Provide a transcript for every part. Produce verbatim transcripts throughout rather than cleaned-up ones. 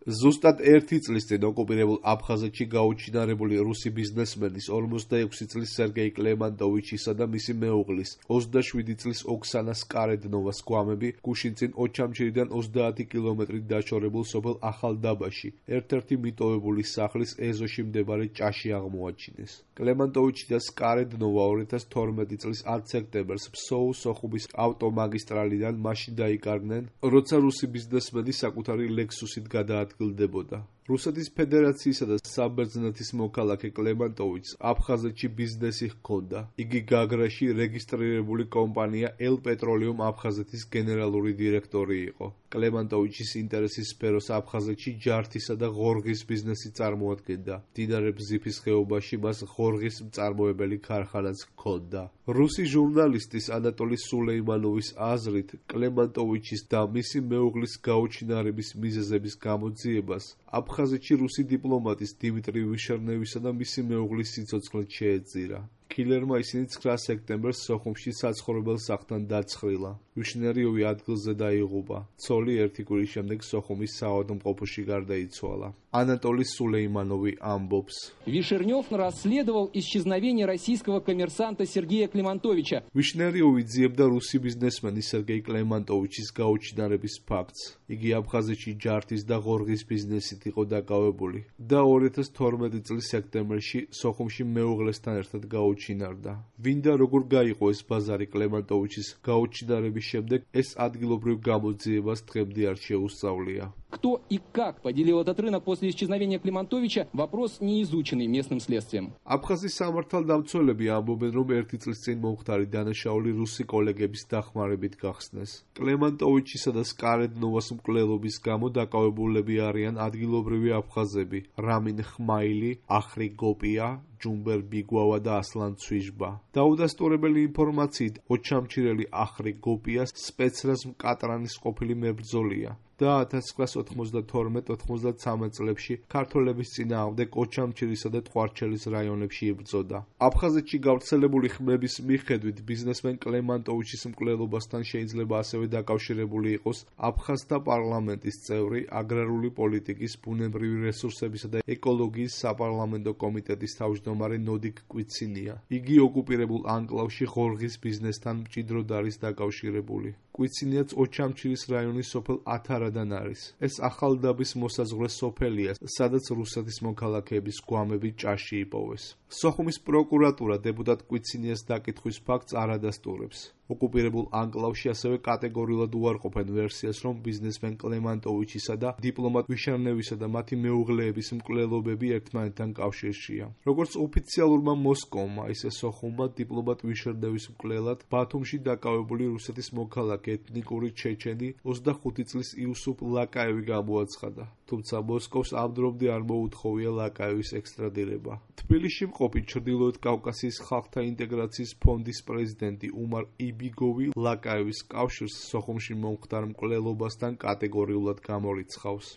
ზუსტად ერთი წლის წინ ოკუპირებულ აფხაზეთში გაუჩინარებული რუსი ბიზნესმენის ორმოცდაექვსი წლის სერგეი კლემანტოვიჩისა და მისი მეუღლის ოცდაშვიდი წლის ოქსანა სკარედნოვას გვამები გუშინ წინ ოჩამჩირიდან ოცდაათი კილომეტრით დაშორებულ სოფელ ახალდაბაში ერთ-ერთი მიტოვებული სახლის ეზოში მდებარე ჭაში აღმოაჩინეს. კლემანტოვიჩი და სკარედნოვა ორი ათას თორმეტი წლის ათ სექტემბერს ფსოუ-სოხუმის ავტომაგისტრალიდან მაშინ დაიკარგნენ, როცა რუსი ბიზნესმენი საკუთარი ლექსუსით გადაადგილდებოდა. რუსეთის ფედერაციისა და საბერძნეთის მოქალაქე კლემანტოვიჩს აფხაზეთში ბიზნესი ჰქონდა. იგი გაგრაში რეგისტრირებული კომპანია ელ პეტროლიუმ აფხაზეთის გენერალური დირექტორი იყო. კლემანტოვიჩის ინტერესის სფეროს აფხაზეთში ჯართისა და ღორღის ბიზნესი წარმოადგენდა. მდინარე ბზიფის ხეობაში მას ღორღის მწარმოებელი ქარხანაც ჰქონდა. რუსი ჟურნალისტის ანატოლი სულეიმანოვის აზრით, კლემანტოვიჩის და მისი მეუღლის გაუჩინარების მიზეზების გამოძიებას აფხაზეთში რუსი დიპლომატის დიმიტრი ვიშერნევისა და მისი მეუღლის სიცოცხლე შეეწირა. კილერმა ისინი ცხრა სექტემბერს სოხუმში საცხოვრებელ სახლთან დაცხრილა. ვიშნერიოვი ადგილზე დაიღუპა. ცოლი ერთი კვირის შემდეგ სოხუმის საავადმყოფოში გარდაიცვალა. ანატოლი სულეიმანოვი ამბობს. Вишернев расследовал исчезновение российского коммерсанта Сергея Климантовича. ვიშნერიოვი ძიებდა რუსი ბიზნესმენის სერგეი კლემანტოვიჩის გაუჩინარების ფაქტს. იგი აფხაზეთში ჯართის და ღორღის ბიზნესით იყო დაკავებული და ორი ათას თორმეტი წლის სექტემბერში სოხუმში მეუღლესთან ერთად გაუჩინარდა. ვინ და როგორ გაიყო ეს ბაზარი კლემანტოვიჩის გაუჩინარების შემდეგ, ეს ადგილობრივ გამოძიებას დღემდე არ შეუსწავლია. Кто и как поделил этот рынок после исчезновения Климантовича, вопрос не изученный местным следствием. აფხაზის სამართალდამცველები ამბობენ, რომ ერთი წლის წინ მომხდარი დანაშაული რუსი კოლეგების დახმარებით გახსნეს. კლემანტოვიჩისა და სკარედნოვას მკვლელობის გამო დაკავებულები არიან ადგილობრივი აფხაზები: რამინ ხმაილი, ახრი გოპია, ჯუმბერ ბიგვავა და ასლან ცვიჟბა. დაუდასტურებელი ინფორმაციით, ოჩამჩირელი ახრი გოპია სპეცრაზ მკატრანის ყოფილი მებრძოლია და ათას ცხრაას ოთხმოცდათორმეტ ოთხმოცდათვრამეტ წლებში ქართველების წინააღმდეგ ოჩამჩირისა და ტყვარჩელის რაიონებში იბრძოდა. აფხაზეთში გავრცელებული ხმების მიხედვით, ბიზნესმენ კლემანტოვიჩის მკვლელობასთან შეიძლება ასევე დაკავშირებული იყოს აფხაზთა პარლამენტის წევრი, აგრარული პოლიტიკის, ბუნებრივი რესურსებისა და ეკოლოგიის საპარლამენტო კომიტეტის თავმჯდომარე ნოდიკ კვიცინია. იგი ოკუპირებულ ანკლავში ღორღის ბიზნესთან მჭიდროდ არის დაკავშირებული. კვიცინიაც ოჩამჩირის რაიონის სოფელ ათარადან არის. ეს ახალდაბის მოსაზღვრე სოფელია, სადაც რუსეთის მოქალაქეების გვამები ჭაში იპოვეს. სოხუმის პროკურატურა დეპუტატ კვიცინიას დაკითხვის ფაქტს არ ადასტურებს. ოკუპირებულ ანკლავში ასევე კატეგორიულად უარყოფენ ვერსიას, რომ ბიზნესმენ კლემანტოვიჩისა და დიპლომატ ვიშერნევისა და მათი მეუღლეების მკვლელობები ერთმანეთთან კავშირშია. როგორც ოფიციალურმა მოსკოვმა, ისე სოხუმმა დიპლომატ ვიშერნევის მკვლელად ბათუმში დაკავებული რუსეთის მოქალაქე ეთნიკური ჩეჩენი ოცდახუთი წლის იუსუფ ლაკაევი გამოაცხადა. თუმცა მოსკოვს ამ დრომდე არ მოუთხოვია ლაკაევის ექსტრადირება. თბილისში მყოფი ჩრდილოეთ კავკასიის ხალხთა ინტეგრაციის ფონდის პრეზიდენტი უმარ იბიგოვი ლაკაევის კავშირს სოხუმში მომხდარ მკვლელობასთან კატეგორიულად გამორიცხავს.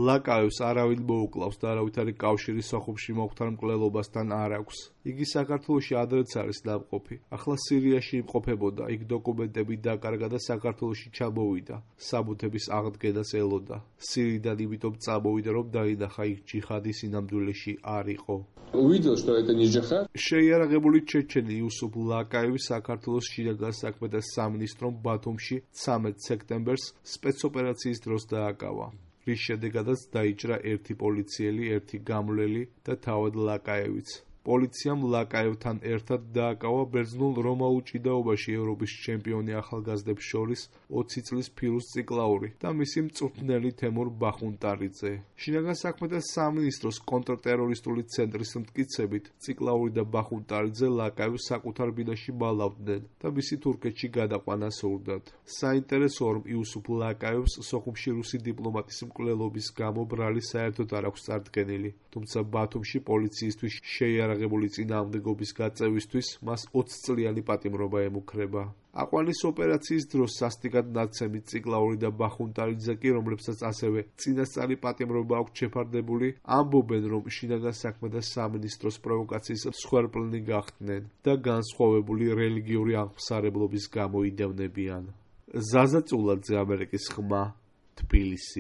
ლაკაევს არავინ მოუკლავს და არავითარი კავშირი სოხუმში მომხდარ მკვლელობასთან არ აქვს. იგი საქართველოში ადრეც არის დამყოფი. ახლა სირიაში იმყოფებოდა, იქ დოკუმენტები დაკარგა და საქართველოში ჩამოვიდა. საბუთების აღდგენას ელოდა. სირიდან იმიტომ წამოვიდა, რომ დაინახა იქ ჯიჰადი სინამდვილეში არ იყო. Увидел, что это не джихад. შეიარაღებული ჩეჩენი იუსუფ ლაკაევი საქართველოს შინაგან საქმეთა სამინისტრომ ბათუმში ცამეტ სექტემბერს სპეცოპერაციის დროს დააკავა. რის შედეგადაც დაიჭრა ერთი პოლიციელი, ერთი გამლელი და თავად ლაკაევიც. პოლიციამ ლაკაევთან ერთად დააკავა ბერძნულ რომაულ ჭიდაობაში ევროპის ჩემპიონი ახალგაზრდებს შორის ოცი წლის ფირუზ ციკლაური და მისი მწვრთნელი თემურ ბახუნტარიძე. შინაგან საქმეთა სამინისტროს კონტრტერორისტული ცენტრის მტკიცებით, ციკლაური და ბახუნტარიძე ლაკაევს საკუთარ ბინაში ბალავდნენ და მისი თურქეთში გადაყვანა სურდათ. საინტერესოა, რომ იუსუფ ლაკაევს სოხუმში რუსი დიპლომატის მკვლელობის გამო ბრალი საერთოდ არ აქვს წარდგენილი, თუმცა ბათუმში პოლიციისთვის შეიარაღებული აღებული წინააღმდეგობის გაწევისთვის მას ოცწლიანი პატიმრობა ემუქრება. აყვანის ოპერაციის დროს სასტიკად ნაცემი ციკლაური და ბახუნტარიძე კი, რომლებსაც ასევე წინასწარი პატიმრობა აქვს შეფარდებული, ამბობენ, რომ შინაგან საქმეთა სამინისტროს პროვოკაციის მსხვერპლნი გახდნენ და განსხვავებული რელიგიური აღმსარებლობის გამო იდევნებიან. ზაზა წულაძე, ამერიკის ხმა, თბილისი.